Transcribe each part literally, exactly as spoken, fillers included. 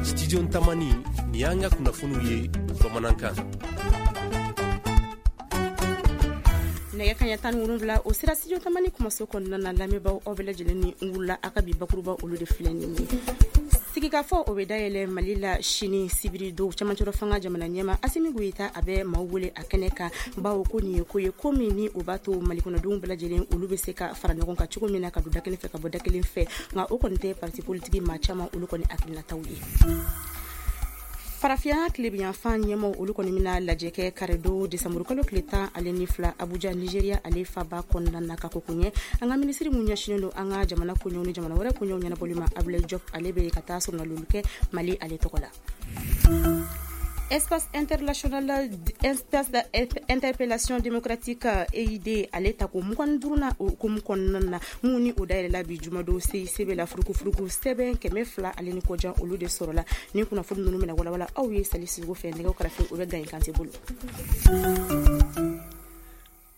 Studio Tamani, ni y'an ka kunnafoniw ye bamanankan. Nɛgɛ kaɲɛ tan ni wolonwula o sera Studio Tamani kumaso kɔnɔna na, lamɛnbaaw aw bɛɛ lajɛlen ni n wulila a ka bi bakuruba olu de filɛ nin ye. Sigikafɔ o bɛ dayɛlɛ Mali la sini sibiri don. Camancɛrɔ fanga jamana ɲɛma Asimi Goyita a bɛ maaw wele a kɛnɛ kan, bawo ko nin ye ko ye ko min ni o b'a to Mali kɔnɔdenw bɛɛ lajɛlen olu bɛ se ka fara ɲɔgɔn kan cogo min na ka don da kelen fɛ ka bɔ da kelen fɛ, nka o kɔni tɛ parti politique maa caman olu kɔni hakilinataw ye. Farafinya tilebinyanfan ɲɛmaw olu kɔni bɛna lajɛ kɛ karidon desanburu kalo tile tan ale ni fila Abuja, Nigeria ale faba kɔnɔna na. Ka ko ɲɛ an ka minisiri mun ɲɛsinnen don an ka jamana koɲɛw ni jamana wɛrɛ koɲɛw ɲɛnabɔli ma, Abdoulaye Diop, ale bɛ ka taa sɔrɔnalolu kɛ Mali ale tɔgɔ la. Espace international, espace d'interpellation démocratique E I D ale tako mugan ni duuru na o hukumu kɔnɔna na, mun ni o dayɛlɛla bi jumadon C I C B la, furukufuruku sɛbɛn kɛmɛ fila ale ni kɔjan olu de sɔrɔla. Ni kunnafoni ninnu bɛna walawala aw ye Sali Sisoko fɛ, nɛgɛw karafe o bɛ Gaye Kante bolo.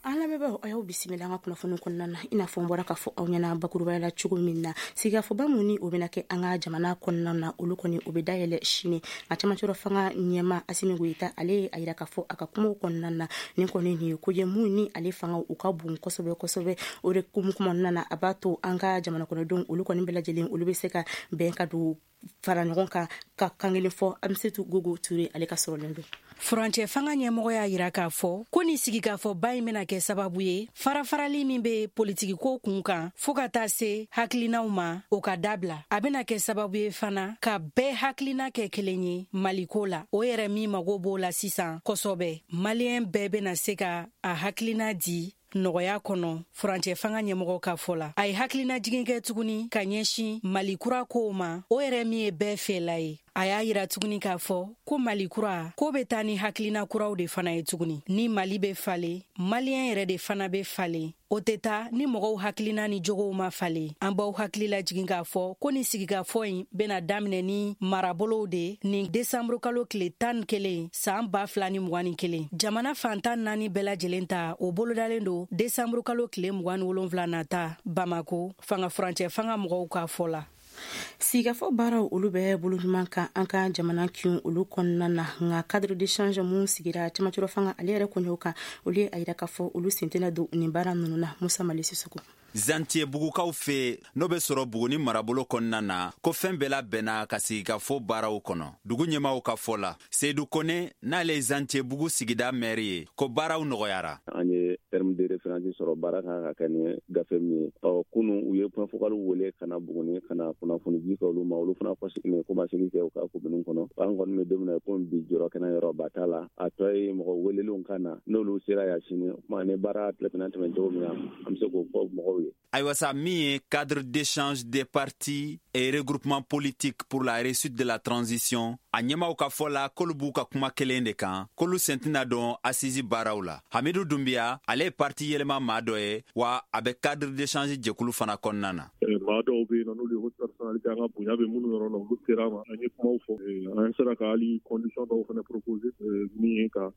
An lamɛnbaaw, aw y'aw bisimila an ka kunnafoni kɔnɔna na. I n'a fɔ n bɔra k'a fɔ aw ɲɛna bakurubaya la cogo min na, sigikafɔba mun ni o bɛna kɛ an ka jamana kɔnɔna na, olu kɔni o bɛ dayɛlɛ sini. Nka camancɛrɔ fanga ɲɛma Asimi Goyita ale ye a yira k'a fɔ a ka kumaw kɔnɔna na, nin kɔni nin ye ko ye mun ni ale fanga u ka bon kosɛbɛ kosɛbɛ. O de hukumu kɔnɔna na, a b'a to an ka jamana kɔnɔdenw olu kɔni bɛɛ lajɛlen olu bɛ se ka bɛn ka don fara ɲɔgɔn kan ka kan kelen fɔ. Amisetu Gogo Ture ale ka sɔrɔlen don. Furancɛ fanga ɲɛmɔgɔ y'a yira k'a fɔ ko nin sigikafɔba in bɛna kɛ sababu ye farafarali min bɛ politikiko kun kan fɔɔ ka taa se hakilinaw ma, o ka dabila. A bɛna kɛ sababu ye fana ka bɛɛ hakilina kɛ kelen ye Maliko la, o yɛrɛ min mago b'o la sisan kosɛbɛ. Maliyɛn bɛɛ bɛna se ka a hakilina di nɔgɔya kɔnɔ. Furancɛ fanga ɲɛmɔgɔ ka fɔ la, a ye hakilina jigin kɛ tuguni ka ɲɛsin Mali kura kow ma, o yɛrɛ min ye bɛɛ fɛla ye. A y'a yira tuguni k'a fɔ ko Mali kura ko bɛ taa ni hakilina kuraw de fana ye tuguni. Ni Mali bɛ falen, Maliyɛn yɛrɛ de fana bɛ falen. O tɛ taa ni mɔgɔw hakilina ni jogow ma falen. An b'aw hakili lajigin k'a fɔ ko nin sigikafɔ in bɛna daminɛ ni marabolow de nin desanburu kalo tile tan ni kelen san ba fila ni mugan ni kelen. Jamana fantan naani bɛɛ lajɛlen ta o bolodalen don desanburu kalo tile mugan ni wolonwula nata Bamako, fanga furancɛ fanga mɔgɔw ka fɔ la. Sigikafɔ baaraw olu bɛ bolo ɲuman kan an ka jamana kin olu kɔnɔna na, nka cadre d'échange mun sigira camancɛrɔ fanga ale yɛrɛ koɲɛw kan, olu ye a yira k'a fɔ olu sen tɛna don nin baara ninnu na. Musa Mali Sisoko. Zantiye bugukaw fɛ n'o bɛ sɔrɔ Buguni marabolo kɔnɔna na, ko fɛn bɛɛ labɛnna ka sigikafɔ baaraw kɔnɔ. Dugu ɲɛmaw ka fɔ la, Seyidu Kone n'ale ye Zantiye bugu sigida mɛri ye, ko baaraw nɔgɔyara. An ye terme de référence sɔrɔ, baara kan ka kɛ ni gafe min ye. Ɔ kunun u ye point focal wele ka na Buguni ka na kunnafoni di kɛ olu ma, olu fana kɔsegin kɔmasegin kɛ u ka komini kɔnɔ. An kɔni bɛ don min na komi bi, jɔrɔ kɛnɛ yɔrɔ ba t'a la. A tɔ ye mɔgɔ welelenw ka na, n'olu sera yan sini, o kuma ni baara tɛmɛna tɛmɛ cogo min na, an bɛ se k'o fɔ mɔgɔw ye. Ayiwa sa, min ye cadre d'échange des partis et regroupement politique pour la réussite de la transition, a ɲɛmaw ka fɔ la k'olu b'u ka kuma kelen de kan, k'olu sen tɛna don assise baaraw la. Hamidu Dunbiya ale ye parti yɛlɛma maa dɔ ye, wa a bɛ cadre d'échange jɛkulu fana kɔnɔna na. Maa dɔw bɛ yen nɔ n'olu ye haute personnalité, an ka bonya bɛ minnu yɔrɔ la, olu sera ma, an ye kumaw fɔ, an sera ka hali condition dɔw fana proposer, min ye ka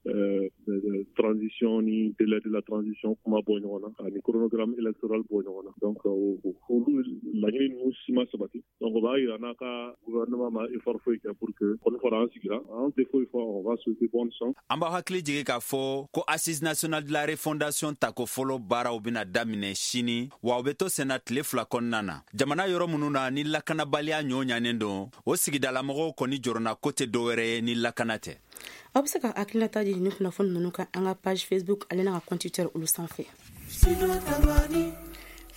transition ni délai de la transition kuma bɔ ɲɔgɔn na ani chronogramme électoral bɔ ɲɔgɔn na. Donc olu laɲini ninnu si ma sabati. Donc o b'a yira n'a ka gouvernement ma effort foyi kɛ pour que kɔni fɔra an sigira, an tɛ foyi fɔ, on va souhaiter bonne chance. An b'aw hakili jigin k'a fɔ ko assise nationale de la refondation tako fɔlɔ baaraw bɛna daminɛ sini, wa u bɛ to senna tile fila kɔnɔna na. Jamana yɔrɔ minnu na ni lakanabaliya ɲɔ ɲanen don, o sigidalamɔgɔw kɔni jɔrɔna ko tɛ dɔwɛrɛ ye ni lakana tɛ. Aw bɛ se ka hakilinata di ni kunnafoni ninnu kan an ka page Facebook ale n'a ka compte Twitter olu sanfɛ.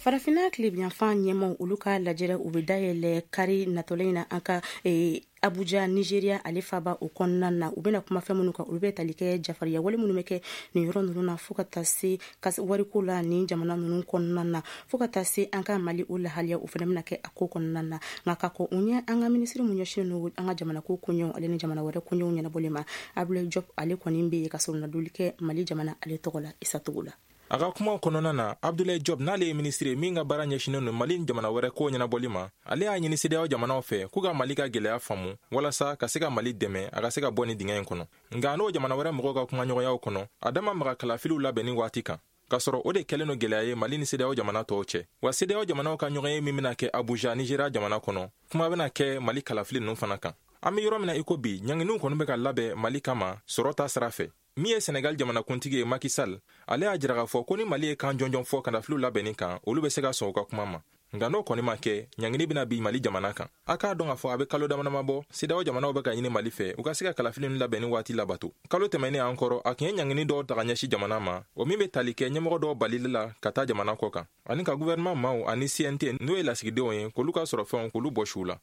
Farafinna tilebinyanfan ɲɛmaw olu ka lajɛrɛ u bɛ dayɛlɛ kari natɔlen in na an ka Abuja, Nigeria ale faba o kɔnɔna na. U bɛna kuma fɛn minnu kan, olu bɛ tali kɛ jafariya wale minnu bɛ kɛ nin yɔrɔ ninnu na, fo ka taa se wariko la nin jamana ninnu kɔnɔna na, fo ka taa se an ka Mali o lahaliya o fana bɛna kɛ a ko kɔnɔna na. Nka ka kɔn o ɲɛ, an ka minisiri mun ɲɛsinnen don an ka jamana ko koɲɛw ale ni jamana wɛrɛ koɲɛw ɲɛnabɔli ma, Abdoulaye Diop, ale kɔni bɛ yen ka sɔrɔnadoli kɛ Mali jamana ale tɔgɔ la Isa Togo la. A ka kumaw kɔnɔna na, Abdoulaye Diop n'ale ye minisiri ye min ka baara ɲɛsinnen don Mali ni jamana wɛrɛ kow ɲɛnabɔli ma, ale y'a ɲini CEDEAO jamanaw fɛ k'u ka Mali ka gwɛlɛya faamu walasa ka se ka Mali dɛmɛ a ka se ka bɔ nin dingɛ in kɔnɔ. Nka n'o jamana wɛrɛ mɔgɔw ka kumaɲɔgɔnyaw kɔnɔ, a dama maga kalafiliw labɛnni waati kan. K'a sɔrɔ o de kɛlen don gɛlɛya ye Mali ni CEDEAO jamana tɔw cɛ. Wa CEDEAO jamanaw ka ɲɔgɔn ye min bɛna kɛ Abuja, Nigéria jamana kɔnɔ, kuma bɛna kɛ Mali kalafili ninnu fana kan. An bɛ yɔrɔ min na i ko bi, ɲanginiw kɔni bɛ ka labɛn Mali kama sɔrɔ ta sira fɛ. Min ye Senegal jamanakuntigi ye Macky Sall, ale y'a jira k'a fɔ ko ni Mali ye kan jɔnjɔn fɔ kalafiliw labɛnni kan, olu bɛ se ka sɔn u ka kuma ma. Nka n'o kɔni ma kɛ, ɲangini bɛna bin Mali jamana kan. A k'a dɔn k'a fɔ a bɛ kalo damadama bɔ, CEDEAO jamanaw bɛ ka ɲini Mali fɛ u ka se ka kalafili ninnu labɛnni waati labato. Kalo tɛmɛnen an kɔrɔ, a tun ye ɲangini dɔw ta ka ɲɛsin jamana ma, o min bɛ tali kɛ ɲɛmɔgɔ dɔw balili la ka taa jamana kɔ kan, ani ka gouvernement maaw ani C N T n'o ye lasigidenw ye, k'olu ka sɔrɔ fɛnw k'olu bɔsi u la.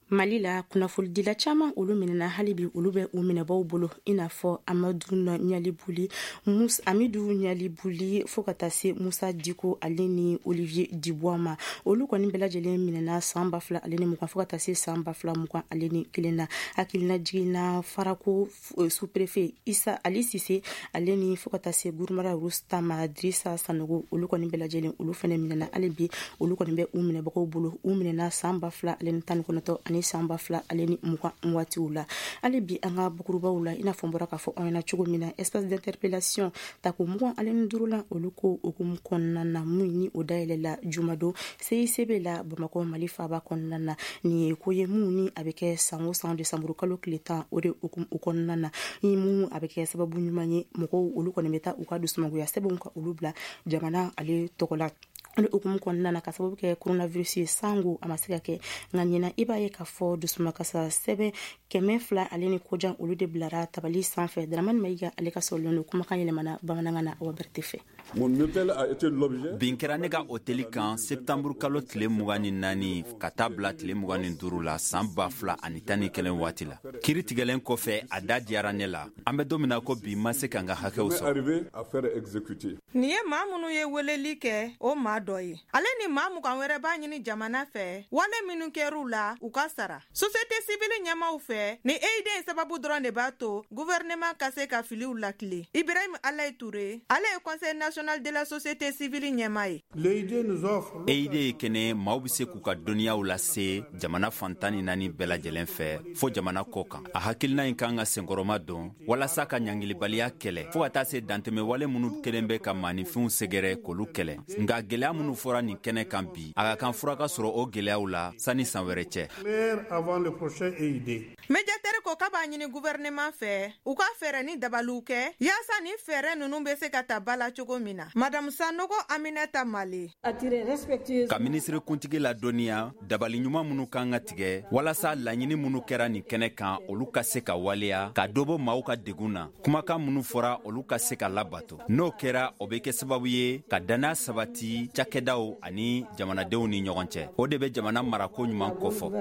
Mali la kunnafonidila caman olu minɛna, hali bi olu bɛ u minɛbaw bolo, i n'a fɔ Amadu Ɲalibuli, Musa Amidu Ɲalibuli, fo ka taa se Musa Diko ale ni Olivier Dubois ma. Olu kɔni bɛɛ lajɛlen minɛna san ba fila ale ni mugan fo ka taa se san ba fila mugan ale ni kelen na. Hakilina jiginna Farako sous-préfet Isa Ali Sise ale ni fo ka taa se Gurumara Rustama Drissa Sanogo, olu kɔni bɛɛ lajɛlen olu fɛnɛ minɛna, hali bi olu kɔni bɛ u minɛbagaw bolo. U minɛna san ba fila ale ni tan ni kɔnɔntɔn ani san ba fila ale ni mugan waatiw la. Hali bi an ka bukurubaw la, i n'a fɔ n bɔra k'a fɔ aw ɲɛna cogo min na, espace d'interpellation tako mugan ale ni duuru la, olu ko hukumu kɔnɔna na mun ni o dayɛlɛla jumadon C I C B la Bamakɔ Mali faaba kɔnɔna na. Nin ye ko ye mun ni a bɛ kɛ san o san desanburu kalo tile tan, o de hukumu kɔnɔna na, ni mun a bɛ kɛ sababu ɲuman ye mɔgɔw olu kɔni bɛ taa u ka dusumangoya sɛbɛnw ka olu bila jamana ale tɔgɔ la. Ale hukumu kɔnɔna na, ka sababu kɛ coronavirus ye, sango a ma se ka kɛ, nka ɲinan i b'a ye k'a fɔ dusumakasa sɛbɛn kɛmɛ fila ale ni kojan olu de bilara tabali sanfɛ. Dramani Mayiga ale ka sɔrɔlen don kumakan yɛlɛmana bamanankan na Awa Berete fɛ. Bin kɛra ne ka hôtel kan septembre kalo tile mugan ni naani ka taa bila tile mugan ni duuru la san ba fila ani tan ni kelen waati la. Kiri tigɛlen kɔfɛ, a da diyara ne la. An bɛ don min na ko bi, ma se ka n ka hakɛw sɔrɔ. Nin ye maa minnu ye weleli kɛ, o maa dɔ ye. Ale ni maa mugan wɛrɛ b'a ɲini jamana fɛ, wale minnu kɛr'u la, u ka sara. Société civile ɲɛmaw fɛ, ni E I D sababu dɔrɔn de b'a to gouvernement ka se ka filiw lakile. Ibrahim Alaye Touré, ale ye Conseil national de la société civile ɲɛmaa ye. E I D ye kɛnɛ maaw bɛ se k'u ka dɔnniyaw lase jamana fantan ni naani bɛɛ lajɛlen fɛ fo jamana kɔ kan. A hakilina in kan ka senkɔrɔma don walasa ka ɲangilibaliya kɛlɛ fo ka taa se dantɛmɛwale minnu kelen bɛ ka maaninfinw sɛgɛrɛ k'olu kɛlɛ. Nka gɛlɛya minnu fɔra nin kɛnɛ kan bi, a ka kan fura ka sɔrɔ o gɛlɛyaw la sanni san wɛrɛ cɛ. Médiateur ko k'a b'a ɲini gouvernement fɛ u ka fɛɛrɛ ni dabaliw kɛ yaasa ni fɛɛrɛ ninnu bɛ se ka ta ba la cogo min na. Madame Sanogo Aminata Male. Ka minisiri kuntigi ladɔnniya dabali ɲuman minnu kan ka tigɛ walasa laɲini minnu kɛra nin kɛnɛ kan, olu ka se ka waleya ka dɔ bɔ maaw ka degun na. Kumakan minnu fɔra, olu ka se ka labato. N'o kɛra, o bɛ kɛ sababu ye ka danaya sabati cakɛdaw ani jamanadenw ni ɲɔgɔn cɛ. O de bɛ jamana marako ɲuman kofɔ.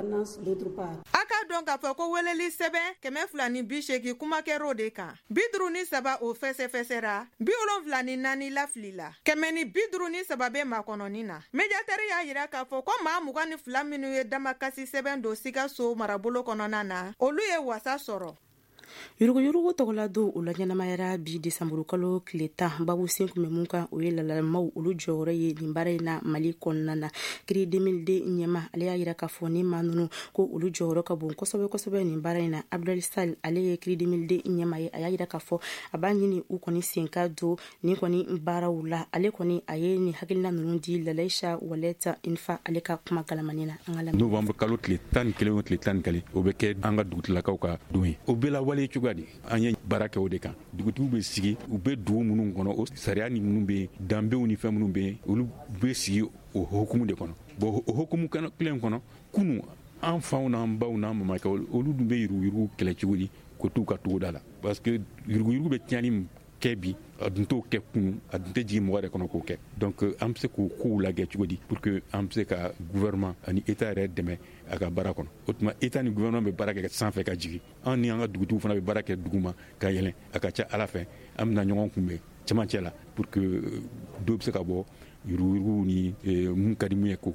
A k'a dɔn k'a fɔ ko weleli sɛbɛn kɛmɛ fila ni bi seegin kuma kɛr'o de kan. Bi duuru ni saba o fɛsɛfɛsɛra, bi wolonfila ni naani lafilila, kɛmɛ ni bi duuru ni saba bɛ makɔnɔni na. Médiateur y'a yira k'a fɔ ko maa mugan ni fila minnu ye damakasi sɛbɛn don Sikaso marabolo kɔnɔna na, olu ye wasa sɔrɔ. Yuruguyurugu tɔgɔla don o la ɲɛnamayara bi desanburu kalo tile tan. Babu sen kun bɛ mun kan, o ye lalamaw olu jɔyɔrɔ ye nin baara in na Mali kɔnɔna na. C R I deux mille deux ɲɛma ale y'a yira k'a fɔ ni maa ninnu ko olu jɔyɔrɔ ka bon kosɛbɛ kosɛbɛ nin baara in na. Abdel Sall ale ye C R I deux mille deux ɲɛma ye, a y'a yira k'a fɔ a b'a ɲini u kɔni sen ka don nin kɔni baaraw la. Ale kɔni a ye nin hakilina ninnu di Lalaïcha Waleta Infa ale ka kuma galamani na. An ka lamɛn. Novembre kalo tile tan ni kelen o tile tan ni kelen, o bɛ kɛ an ka dugutigilakaw ka don ye. O bɛɛ la wale cogoya di, an ye baara kɛ o de kan. Dugutigiw bɛ sigi, u bɛ dugu minnu kɔnɔ, o sariya ni minnu bɛ yen, danbew ni fɛn minnu bɛ yen, olu bɛ sigi o hukumu de kɔnɔ. Bon, o hukumu kelen kɔnɔ, kunun an faw n'an baw n'an mamakɛ, olu dun bɛ yuruguyurugu kɛlɛ cogo di k'o t'u ka togoda la? Parce que yuruguyurugu bɛ tiɲɛni kɛ bi, a dun t'o kɛ kunun, a dun tɛ jigin mɔgɔ yɛrɛ kɔnɔ k'o kɛ. Donc an bɛ se k'o kow lajɛ cogo di pour que an bɛ se ka gouvernement ani état yɛrɛ dɛmɛ a ka baara kɔnɔ. O tuma état ni gouvernement bɛ baara kɛ sanfɛ ka jigin, an ni an ka dugutigiw fana bɛ baara kɛ duguma ka yɛlɛn. A ka ca Ala fɛ, an bɛna ɲɔgɔn kunbɛn cɛmancɛ la pour que dɔ bɛ se ka bɔ yuruguyurugu ni mun ka di mun ye k'o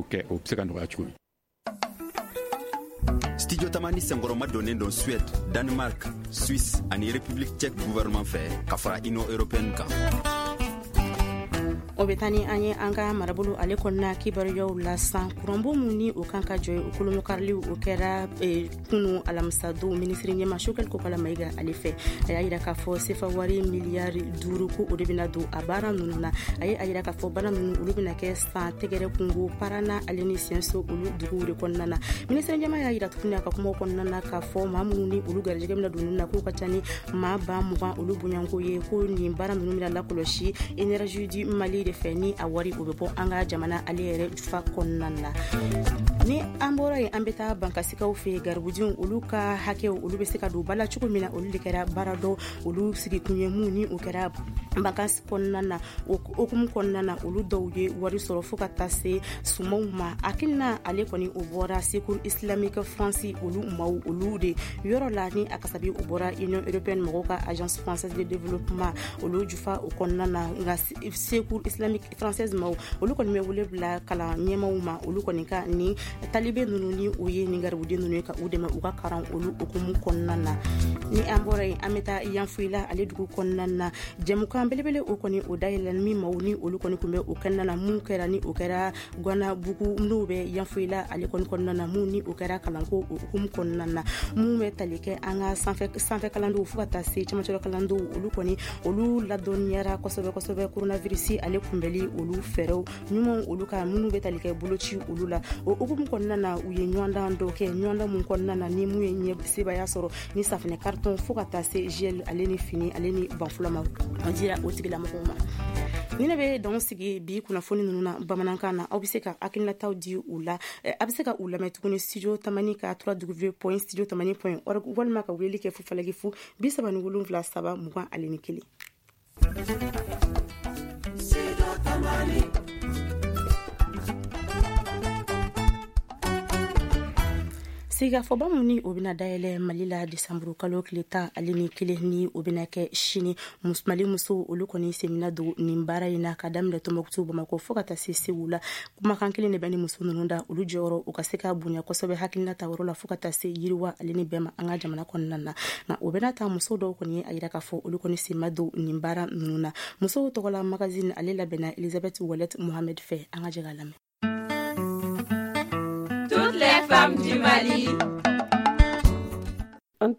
kɛ, o bɛ se ka nɔgɔya cogo min. Studio Tamani senkɔrɔma donnen don Suède, Danemark, Suisse ani République tchèque gouvernement fɛ ka fara Union européenne kan. O bɛ taa ni an ye an ka marabolo ale kɔnɔna kibaruyaw la san kuranbon min ni o kan ka jɔ o kolomokarili o kɛra kunu alamisadon minisiri ɲɛma Choguel Kokalla Maïga ale fɛ. A y'a yira k'a fɔ sefa wari miliyari duuru ko o de bɛna don a baara ninnu na. A ye a yira k'a fɔ baara ninnu olu bɛna kɛ san tɛgɛrɛ kungo Parana ale ni Siɲɛso olu duguw de kɔnɔna na. Minisiri ɲɛma y'a yira tuguni a ka kumaw kɔnɔna na k'a fɔ maa minnu ni olu garijɛgɛ bɛna don ninnu na k'u ka ca ni maa ba mugan olu bonyanko ye, ko nin baara ninnu bɛna lakɔlɔsi Énergie du Mali de fɛ ni a wari o bɛ bɔ an ka jamana ale yɛrɛ jufa kɔnɔna na. Ni an bɔra yen, an bɛ taa bankasikaw fɛ garibudenw olu ka hakɛw olu bɛ se ka don ba la cogo min na, olu de kɛra baara dɔ olu sigikun ye mun ni o kɛra bankasi kɔnɔna na. O hukumu kɔnɔna na, olu dɔw ye wari sɔrɔ fo ka taa se sumanw ma. Hakilina ale kɔni o bɔra Secours Islamique France olu maaw olu de yɔrɔ la, ni a kasabi o bɔra Union européenne mɔgɔw ka Agence française de développement olu jufa o kɔnɔna na. Nka Secours Islamique française maaw olu kɔni bɛ wele bila kalan ɲɛmaw ma, olu kɔni ka ni talibe ninnu ni o ye nin garibuden ninnu ye ka u dɛmɛ u ka karan olu hukumu kɔnɔna na. Ni an bɔra yen, an bɛ taa Yanfolila ale dugu kɔnɔna na. Jɛmukan belebele o kɔni o dayɛlɛ min maaw ni olu kɔni tun bɛ o kɛnɛ na, mun kɛra ni o kɛra Guanabugu n'o bɛ Yanfolila ale kɔni kɔnɔna na, mun ni o kɛra kalanko o hukumu kɔnɔna na, mun bɛ tali kɛ an ka sanfɛ sanfɛ kalandenw fo ka taa se cɛmancɛ kalandenw olu kɔni olu ladɔnniyara kosɛbɛ kosɛbɛ coronavirus ale kunbɛli olu fɛɛrɛw ɲumanw olu ka minnu bɛ tali kɛ boloci olu la. O hukumu kɔnɔna na, u ye ɲɔgɔndan dɔ kɛ, ɲɔgɔndan mun kɔnɔna na ni mun ye ɲɛ sebaaya sɔrɔ ni safinɛ carton fo ka taa se gel ale ni fini ale ni banfula ma o dira o tigilamɔgɔw ma. Ni ne bɛ dan sigi bi kunnafoni ninnu na bamanankan na, aw bɛ se ka hakilinataw di u la, a bɛ se ka u lamɛn tuguni studio tamani ka w w w point studio tamani point org walima ka weleli kɛ fu falaki fu bi saba ni wolonwula saba mugan ale ni kelen. Sigikafɔba min ni o bɛna dayɛlɛ Mali la desanburu kalo tile tan ale ni kelen ni o bɛna kɛ sini, Mali musow olu kɔni semina don nin baara in na ka daminɛ Tɔnbukutu, Bamakɔ fo ka taa se Segu la. Kumakan kelen de bɛ ni muso ninnu da, olu jɔyɔrɔ u ka se ka bonya kosɛbɛ hakilina ta yɔrɔ la fo ka taa se yiriwa ale ni bɛɛ ma an ka jamana kɔnɔna na. Nka o bɛna ta muso dɔw kɔni ye a yira k'a fɔ olu kɔni sen ma don nin baara ninnu na. Musow tɔgɔla magazine ale labɛnna Elisabeth Wallet Mohamed fɛ, an ka jɛ k'a lamɛn. Toutes les femmes du Mali. An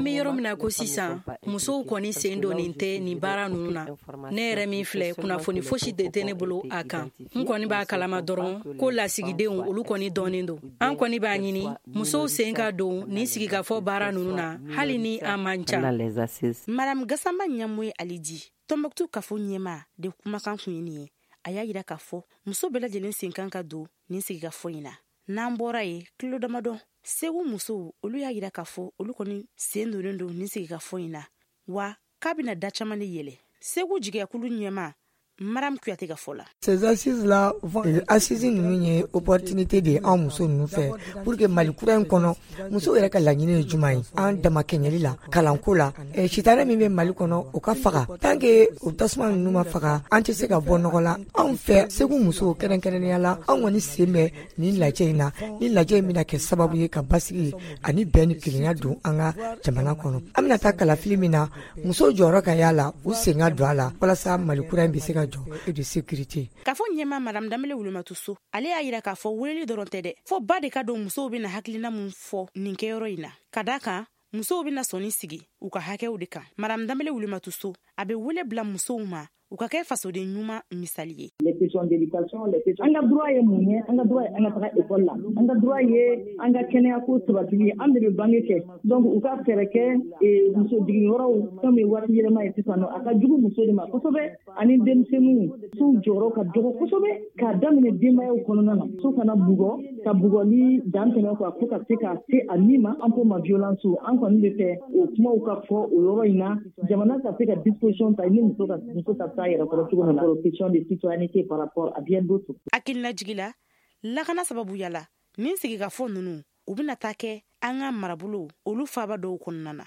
bɛ yɔrɔ min na ko sisan, musow kɔni sen donnen tɛ nin baara ninnu na. Ne yɛrɛ min filɛ, kunnafoni fosi de tɛ ne bolo a kan. N kɔni b'a kalama dɔrɔn ko lasigidenw olu kɔni dɔnnen don. An kɔni b'a ɲini musow sen ka don nin sigikafɔ baara ninnu na, hali ni an man ca. Madame Gassama Ɲamoye Alidi, Tɔnbukutu kafo ɲɛma de kumakan tun ye nin ye. A y'a yira k'a fɔ muso bɛɛ lajɛlen sen kan ka don nin sigikafɔ in na. N'an bɔra yen, kilo damadɔ Segu musow olu y'a yira k'a fɔ olu kɔni sen donnen don nin sigikafɔ in na, wa k'a bɛna da caman de yɛlɛ. Segu jigiyakulu ɲɛma Maram Kuyate ka fɔ la. Ces assises-là, assises ninnu ye opportunité de ye anw muso ninnu fɛ pour que Mali kura in kɔnɔ, musow yɛrɛ ka laɲini ye jumɛn ye an damakɛɲɛli la, kalanko la, sitanɛ min bɛ Mali kɔnɔ o ka faga. Tant que o tasuma ninnu ma faga, an tɛ se ka bɔ nɔgɔ la. Anw fɛ Segu musow kɛrɛnkɛrɛnnenya la, anw kɔni sen bɛ nin lajɛ in na. Ni lajɛ in bɛna kɛ sababu ye ka basigi ani bɛn ni kelenya don an ka jamana kɔnɔ. An bɛna taa kalafili min na, musow jɔyɔrɔ ka y'a la, u sen ka don a la walasa Mali kura in bɛ se ka jɔ et de sécurité. K'a fɔ ɲɛma Madame Danbele Wulumatu So, ale y'a yira k'a fɔ weleli dɔrɔn tɛ dɛ, fo ba de ka don musow bɛna hakilina mun fɔ nin kɛyɔrɔ in na. Ka d'a kan musow bɛna sɔnni sigi u ka hakɛw de kan. Madame Danbele Wulumatu So, a bɛ wele bila musow ma u ka kɛ fasoden ɲuman misali ye. An ka droit ye mun ye? An ka droit ye an ka taga école la, an ka droit ye an ka kɛnɛya ko sabatili ye, an de bɛ bange kɛ. Donc u ka fɛɛrɛ kɛ muso jiginyɔrɔw, fɛn min ye waati yɛlɛma ye sisan nɔ, a ka jugu muso de ma kosɛbɛ, ani denmisɛnninw. Musow jɔyɔrɔ ka dɔgɔ kosɛbɛ k'a daminɛ denbayaw kɔnɔna na. Muso kana bugɔ ka bugɔli dan tɛmɛ quoi, fo ka se ka se a min ma an ko ma violence. An kɔni bɛ fɛ o kumaw ka fɔ o yɔrɔ in na, jamana ka se ka disposition ta ni muso ka muso ka taa yɛrɛ kɔrɔ cogo min na, question de citoyenneté par rapport à bien d'autres. Hakililajigi la, lakana sababuya la, nin sigikafɔ ninnu u bɛna taa kɛ an ka marabolo olu faaba dɔw kɔnɔna na.